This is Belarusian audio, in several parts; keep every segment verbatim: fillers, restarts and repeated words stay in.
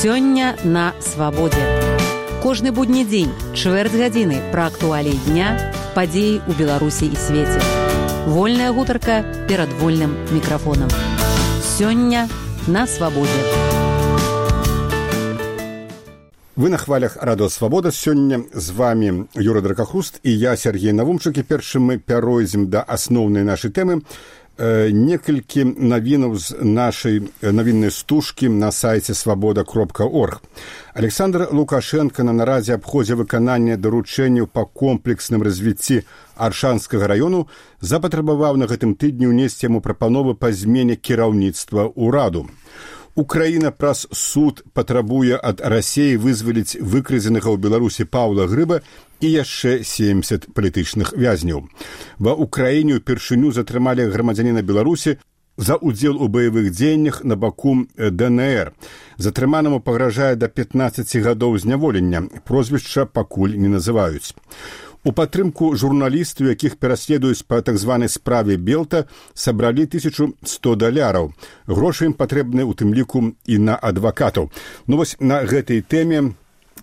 Сёння на свабодзе. Кожны будні дзень, чвэрць гадзіны пра актуаліі дня, падзеі ў Беларусі і свеце. Вольная гутарка перад вольным мікрафонам. Сёння на свабодзе. Вы на хвалях радыё Свабода. Сёння з вами Юра Дракахруст і я, Сергей Навумчык. І першым мы пяройдзем да асноўнай нашай тэмы. Некалькі навінаў з нашай навіннай стужкі на сайце свабода кропка орг. Александр Лукашенко на нарадзе аб ходзе выканання даручэнняў па комплексным развіцці Аршанскага раёну запатрабаваў на гэтым тыдні ўнесці яму прапановы па змене кіраўніцтва ўраду. Украіна праз суд патрабуе ад Расіі вызваліць выкрадзенага ў Беларусі Паўла Грыба і яшчэ семдзесят палітычных вязняў. Ва Украіне ўпершыню затрымалі грамадзяніна Беларусі за ўдзел у баявых дзеяннях на баку ДНР. Затрыманаму пагражае да пятнаццаці гадоў зняволення. Прозвішча пакуль не называюць. У падтрымку журналістаў, якіх пераследуюць па так званай справе Белта, сабралі тысячу сто даляраў. Грошы ім патрэбны ў тым ліку і на адвакатаў. Ну вось на гэтай тэме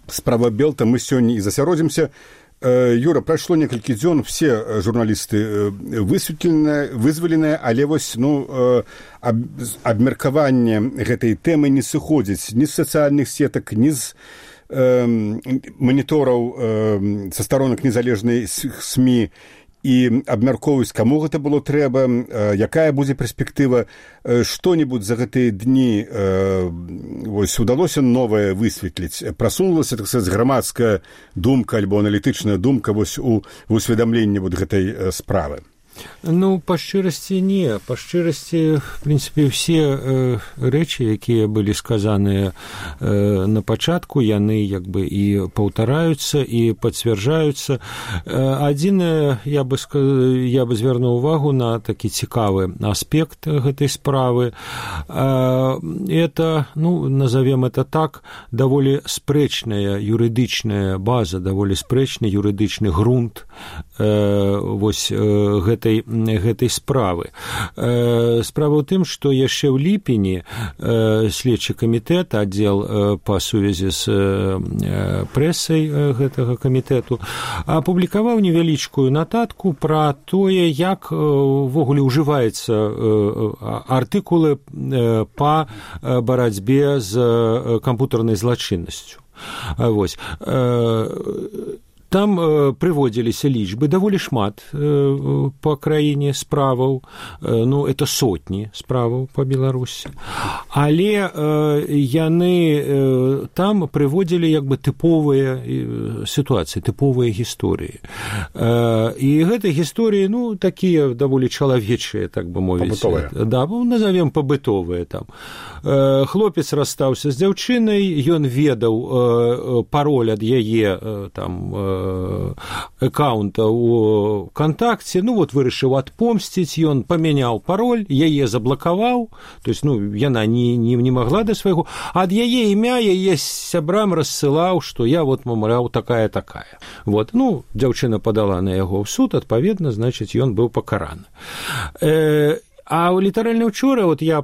справа Белта мы сёння і засяродзімся. Юра, прайшло некалькі дзён, все журналісты высветленыя, вызваленыя, але вось, ну, аб, абмеркаванне гэтай тэмы не сыходзіць ні з сацыяльных сетак, ні з манітораў са старонак незалежнай СМІ і абмяркоўваюць, каму гэта было трэба, якая будзе перспектыва. Што-небудзь за гэтыя дні вось удалося новае высветліць? Прасунулася, так сказаць, грамадская думка альбо аналітычная думка вось у усведамленні вот гэтай справы? Ну, па шчырасці не. Па шчырасці, в прынцыпе, ўсе э, рэчы, якія былі сказаныя э, на пачатку, яны як бы і паўтараюцца, і пацвярджаюцца. Э, адзінае, я бы, я бы звярнуў увагу на такі цікавы аспект гэтай справы. Э, это, ну, назовем это так, даволі спрэчная юрыдычная база, даволі спрэчны юрыдычны грунт э, вось э, гэтай гэтай справы. Справа ў тым, што яшчэ ў ліпені следчы камітэт, аддзел па сувязі з прэсай гэтага камітэту, апублікаваў невялічкую нататку пра тое, як увогуле ўжываецца артыкулы па барацьбе з кампутарнай злачыннасцю. Вось. Там э, прыводзіліся лічбы, даволі шмат э, па краіне справаў, э, ну, это сотні справаў па Беларусі. Але э, яны э, там прыводзілі як бы тыповыя э, сітуацыі, тыповыя гісторыі. Э, і гэтыя гісторыі, ну, такія даволі чалавечыя, так бы мовіць. Пабытовыя. Да, назовем пабытовыя там. Э, хлопец расстаўся з дзяўчынай, ён ведаў э, пароль ад яе э, там э, аккаунта у ВКонтакце, ну вот вырашыў адпомсціць, ён памяняў пароль, яе заблакаваў, то есть, ну, яна не, не, не магла да свайго, ад яе імя яе сябрам рассылаў, што я вот, мамляў, такая-такая. Вот, ну, дзяўчына падала на яго ў суд, адпаведна, значыць, ён быў пакараны. Э, А літаральна учора вот я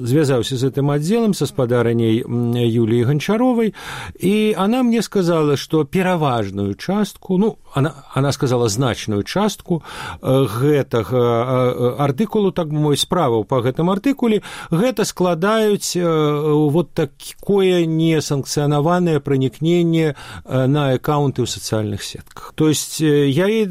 звязаўся з гэтым аддзелам са спадарыняй Юліі Гончаровай, і она мне сказала, што пераважную частку, ну, она, она сказала значную частку гэтага артыкулу, так бы мовіць, справаў па гэтым артыкуле, гэта складаюць вот такое несанкцыянаванае пранікненне на аккаунты ў сацыяльных сетках. То есть я ей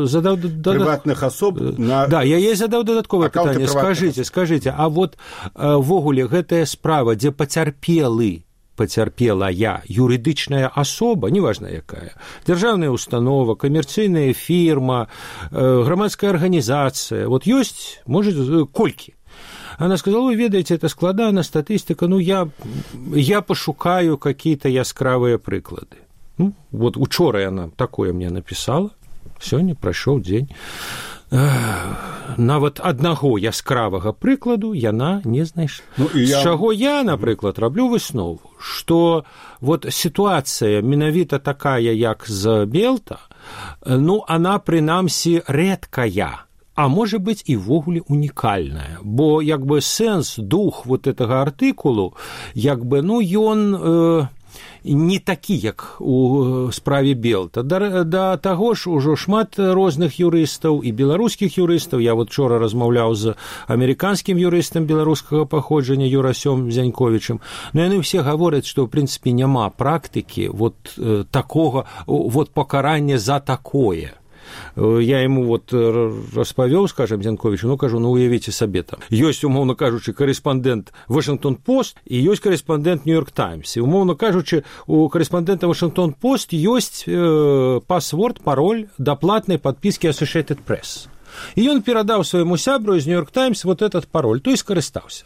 задаў... Прыватных асоб... На... Да, я ей задаў дадатковае пытанне. Скажыце, скажыце, а вот ввогуле гэтая справа, дзе пацярпелы, пацярпелая юрыдычная асоба, неважна якая, дзяржаўная установа, камерцыйная фірма, грамадская арганізацыя, вот ёсць, может, колькі? Она сказала, вы ведаете, это складана статистика, ну я, я пошукаю какие-то яскравые прыклады. Ну, вот учора она такое мне написала, сёння прайшоў дзень. Нават аднаго яскравага прыкладу яна не знайшла. Ну, я... З чаго я, напрыклад, раблю выснову, што вот сітуацыя менавіта такая, як з Белта, ну, она, прынамсі, рэдкая. а можа быць і ввогуле унікальная, бо як бы сэнс, дух вот гэтага артыкулу, як бы, ну, ён э, не такі, як у справе Белта. Да, да таго ж ужо шмат розных юрыстаў і беларускіх юрыстаў. Я вот вчора размаўляў з амерыканскім юрыстам беларускага паходжання Юрасём Зяньковічам. Но яны ўсе гавораць, што ў прынцыпе няма практыкі вот э, такога, вот пакарання за такое. Я ему вот распавёў, скажем, Зянковичу, ну, кажу, ну, уявіце сабе там. Ёсць, умоўна кажучы, карэспандэнт Вашингтон-Пост і ёсць карэспандэнт Нью-Йорк Таймс. І, умоўна кажучы, у карэспандэнта Вашингтон-Пост ёсць э, пасворд, пароль да платнай падпіскі Associated Press. І ён перадаў свайму сябру з Нью-Йорк Таймс вот этот пароль, то і скарыстаўся.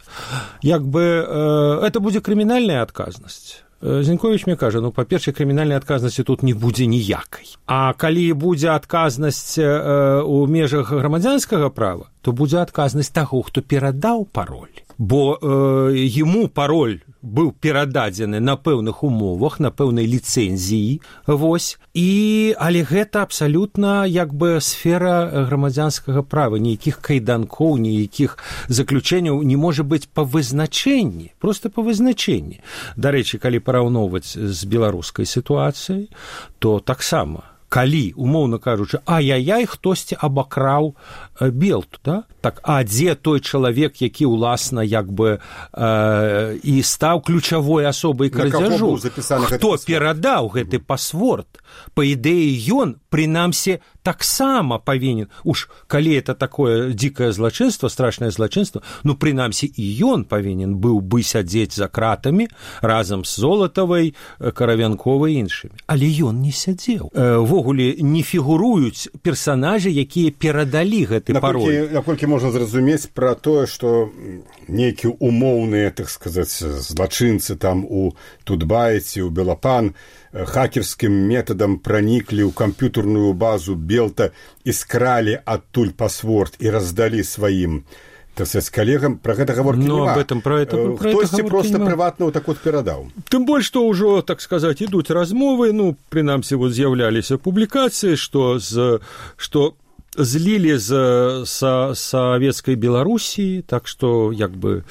Як бы э, это будзе крымінальная адказнасць. Зіньковіч мне кажа, ну, па-першае, крымінальнай адказнасці тут не будзе ніякай. А калі будзе адказнасць э, у межах грамадзянскага права, то будзе адказнасць таго, хто перадаў пароль. Бо э, яму пароль быў перададзены на пэўных умовах, на пэўнай ліцэнзіі, вось, і, але гэта абсалютна, як бы, сфера грамадзянскага права, ніякіх кайданкоў, ніякіх заключэнняў не можа быць па вызначэнні, проста па вызначэнні. Дарэчы, калі параўноўваць з беларускай сітуацыяй, то таксама, калі, умоўна кажучы, ай-яй-яй, хтосьці абакраў э, Белту, да? Так, а дзе той чалавек, які, уласна, як бы э, і стаў ключавой асобай крадзяжу? Хто перадаў гэты пасворд? Па ідэі, ён, прынамсі, таксама павінен, уж калі это такое дзікае злачынства, страшнае злачынства, ну, прынамсі, і ён павінен быў бы сядзець за кратамі разам з Золатавай, Каравянковай і іншымі. Але ён не сядзеў. Ввогуле не фігуруюць персанажы, якія перадалі гэты пароль. Наколькі можна зразумець пра тое, што нейкія умоўныя, так сказаць, злачынцы там у Тутбайце, у Белапан хакерскім метадам праніклі ў камп'ютарную базу Белта і скралі адтуль пасворд і раздалі сваім, так сказаць, калегам, пра гэта гаворкі ну, няма. Об этом, про это, про хтосьці это проста нема. прыватна так вот перадаў. Тым больш, што ўжо, так сказаць, ідуць размовы, ну, прынамсі, вот з'яўляліся публікацыі, што з што злілі з са, савецкай Беларусі, так што, як бы,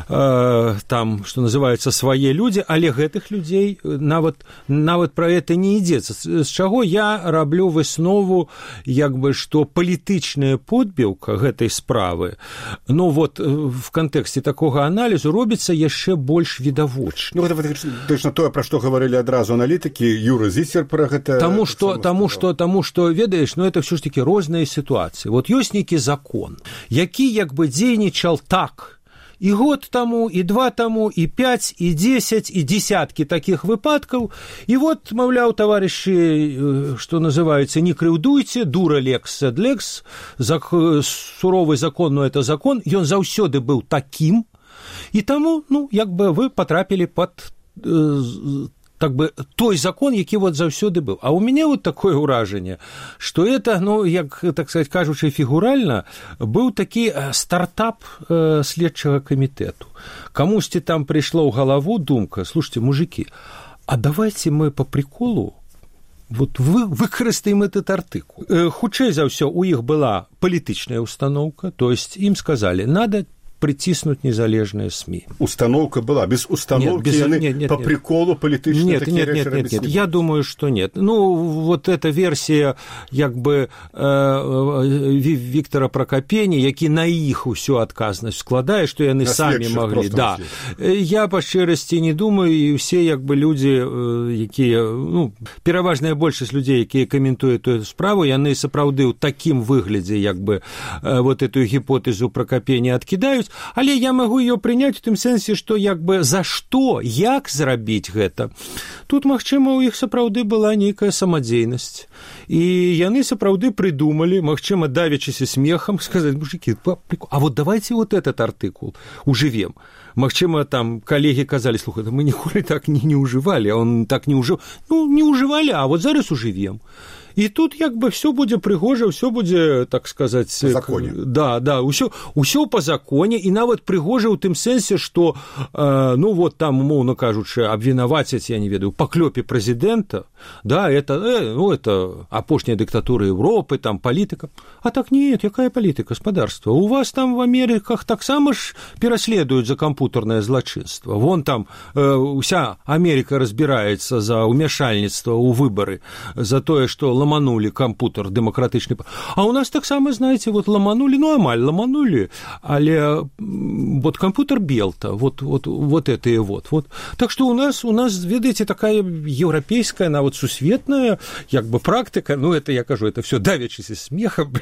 э, там, што называецца, свае людзі, але гэтых людзей нават, нават пра гэта не ідзецца. З чаго я раблю выснову, як бы, што палітычная подбіўка гэтай справы, ну, вот, в кантэксце такога аналізу робіцца яшчэ больш відавочна. Ну, гэта точно тое, пра што гаварылі адразу аналітыкі, Юра Зісер пра гэта... Таму што, таму што, таму што, ведаеш, ну, это ўсё ж такі розныя ситуации. Вот ёсць нейкі закон, які як бы дзейнічаў так і год таму, і два таму, і пяць, і дзесяць, і десяткі такіх выпадкаў. І вот, маўляў, таварышы, што называецца, не крыўдуйце, дура лекс сед лекс, зак... суровы закон, но это закон, ён заўсёды быў такім, і таму, ну, як бы вы потрапілі пад... так бы той закон, які вот заўсёды быў. А у мяне вот такое ўражанне, што это, ну, як, так сказать, кажучы фігуральна, быў такі стартап э, следчага камітэту. Камусьці там прыйшла ў галаву думка, слушайте, мужики, а давайте мы по приколу вот вы, выкарыстаем этот артыкул. Э, хутчэй за ўсё, у іх была палітычная установка, то есть ім сказали, надо притиснуть незалежные СМИ. Установка была. Без установки нет, без, яны нет, нет, по нет. приколу политически нет, такие нет, нет, нет, нет. Я думаю, что нет. Ну, вот эта версия, як бы, э, Виктора Прокопения, які на іх усю адказнасць складае, што яны на самі маглі. Да. Я, па шчырасці, не думаю, і ўсе, як бы, людзі, якія, ну, пераважная большасць людзей, якія каментуюць эту справу, яны сапраўды ў такім выглядзе, як бы, вот эту гіпотэзу Прокопения адкідаюць. Але я магу ее прыняць у тым сэнсе, што як бы за што, як зрабіць гэта. Тут, магчыма, у іх сапраўды была нейкая самадзейнасць. І яны сапраўды прыдумалі, магчыма, давячыся смехам, сказаць, мужики, а вот давайте вот этот артыкул ужывем. Магчыма, там калегі казалі, слухай, мы ніколі так не, не ужывалі, а он так не ужыў. Ну, не ужывалі, а вот зараз ужывем. І тут як бы все будзе прыгожа, все будзе, так сказаць, по законе. Да, да, ўсё, ўсё по законе, і нават прыгожа ў тым сэнсе, што, э, ну вот там, умоўна кажучы, абвінавацяць, я не ведаю, па клёпе прэзідэнта, да, это, э, ну, это апошняя диктатура Европы, там, политика. А так нет, якая политика, господарство? У вас там в Америках таксама ж пераследуюць за кампутарнае злачынства. Вон там э, уся Америка разбираецца за ўмяшальніцтва ў выбары, за тое, што ламанули кампутар дэмакратычны. А у нас таксама, знаете, вот ламанули, ну, амаль ламанули, але вот компьютер Белта, вот, вот, вот это и вот, вот. Так что у нас, у нас, видите, такая европейская, она вот сусветная, как бы практика, ну, это я кажу, это все давячись смехом,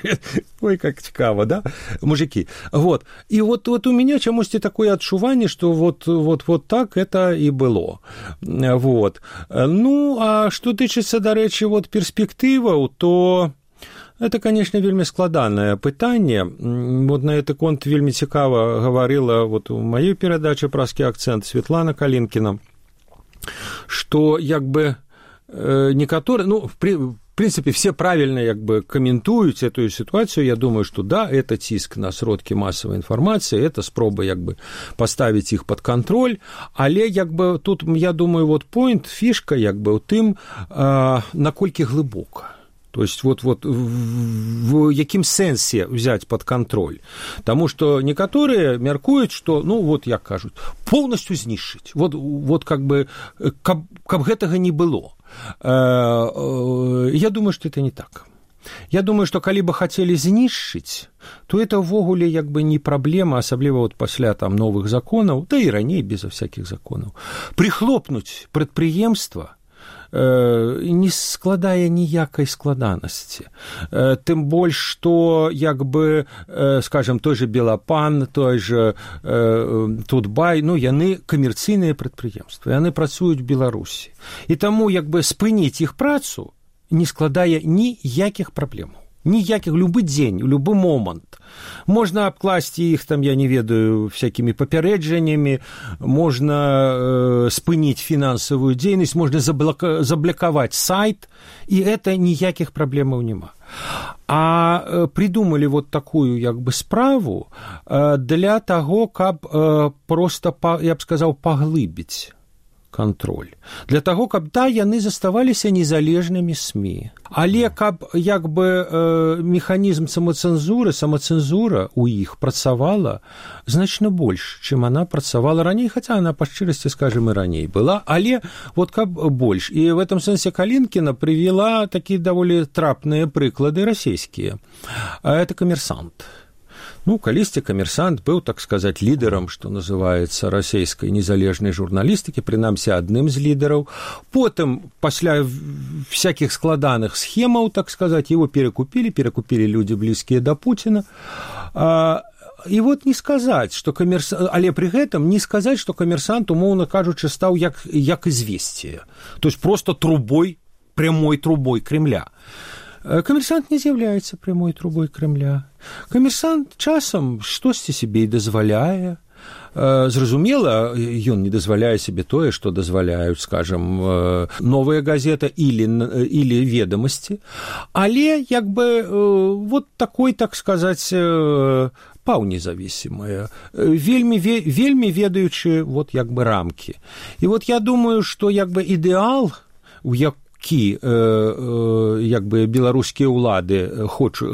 ой, как цікаво, да, мужики, вот. И вот, вот у меня чамусьці такое адчуванне, что вот, вот, вот так это и было, вот. Ну, а что тычыцца, дарэчы, вот перспектываў, то это, конечно, вельмі складанае пытанне. Вот на гэты конт вельмі цікава гаварыла вот у маёй перадачы «Праскі акцэнт» Светлана Калінкіна, што як бы некаторыя, ну, в принципе, все правильно як бы комментуюць эту ситуацию. Я думаю, что да, это ціск на сродкі массовой информации, это спроба як бы поставить их под контроль, але як бы тут, я думаю, вот point, фішка як бы у тым, наколькі глыбока. То есть вот, вот в, в якім сэнсе взять под контроль? Потому что некоторые мяркуюць, что, ну, вот, як кажуць, полностью знішчыць. Вот, вот как бы, каб, каб гэтага не было. Я думаю, что это не так. Я думаю, что калі бы хацелі знішчыць, то это ўвогуле як бы не праблема, асабліва вот пасля там новых законаў, да і раней безо всяких законаў. Прихлопнуць прадпрыемства не складае ніякай складанасці. Тым больш, што, як бы, скажем, той же Белапан, той же Тутбай, ну, яны камерцыйныя прадпрыемствы, яны працуюць в Беларусі. І таму, як бы, спыніць іх працу не складае ніякіх праблемаў. Ніякіх, любы дзень, любы момант. Можна абкласці іх, там, я не ведаю, всякімі папярэджаннямі, можна э, спыніць фінансавую дзейнасць, можна заблока, заблокаваць сайт, і это ніякіх праблемаў няма. А э, придумали вот такую, як бы, справу э, для таго, каб э, просто, па, я б сказаў, паглыбіць контроль. Для таго, каб, да, яны заставаліся незалежнымі СМІ. Але каб, як бы, э, механізм самацэнзуры, самацэнзура у іх працавала значна больш, чым она працавала раней, хаця она, па шчырасці, скажем, і раней была, але вот каб больш. І в этом сэнсе Калінкіна привела такія даволі трапныя прыклады расійскія. Это «Коммерсант». Ну, калісьці «Коммерсант» быў, так сказать, лідарам, што называецца, расійскай незалежнай журналістыкі, прынамсі адным з лідараў. Потым, пасля всяких складаных схемаў, так сказать, его перекупили, перекупили люди, близкие до Путина. И вот не сказать, что «Коммерсант», але при гэтым не сказать, что «Коммерсант», умоўна кажучы, стаў як, як известие. То есть просто трубой, прямой трубой Кремля. «Коммерсант» не з'яўляецца прямой трубой Кремля. «Коммерсант» часам штосьці себе і дазваляе. Зразумела, ён не дазваляе себе тое, што дазваляюць, скажем, «Новая газета» или, или «Ведомости». Але, як бы, вот такой, так сказать, паўнезависимая, вельмі, вельмі ведаючы, вот, як бы, рамки. И вот я думаю, что, як бы, ідэал, у як які, як бы, беларускія ўлады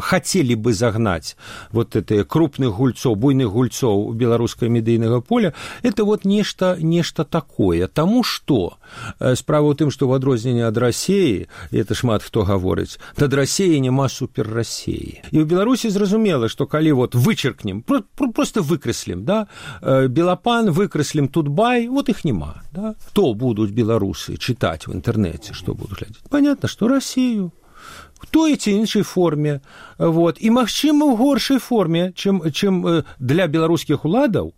хацелі бы загнаць вот это крупных гульцоў, буйных гульцоў беларускага медыйнага поля, это вот нешта, нешта такое. Таму што справа ў тым, што ў адрозненне ад Расіі, і это шмат хто гаворыць, над Расіяй няма суперрасіі. І ў Беларусі зразумела, што калі вот вычеркнем, просто выкрэслім, да, Белапан, выкрэслім Тутбай, вот іх няма. Да? Хто будуць беларусы чытаць в інтэрнэце, што будуць глядзець? Понятно, што Расію. В той ці іншай форме. Вот. І, магчыма, ў горшай форме, чым, чым для беларускіх уладаў,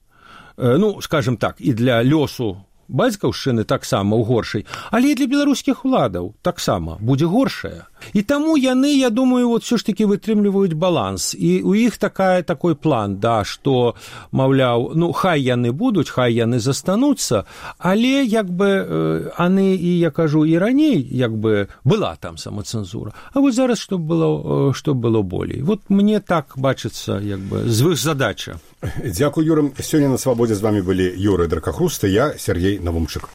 ну, скажем так, і для лёсу бацькаўшчыны таксама ў горшай, але і для беларускіх уладаў таксама будзе горшая. І таму яны, я думаю, вот все ж таки вытрымліваюць баланс. І у іх такая, такой план, да, што, маўляў, ну, хай яны будуць, хай яны застануцца, але, як бы, яны, і я кажу, і раней, як бы, была там самацэнзура. А вот зараз, што было, што было болей. Вот мне так бачыцца, як бы, звышзадача. Дзякую, Юра. Сёння на Свабодзе з вами былі Юра Дракахруст і я, Сергей Навумчык.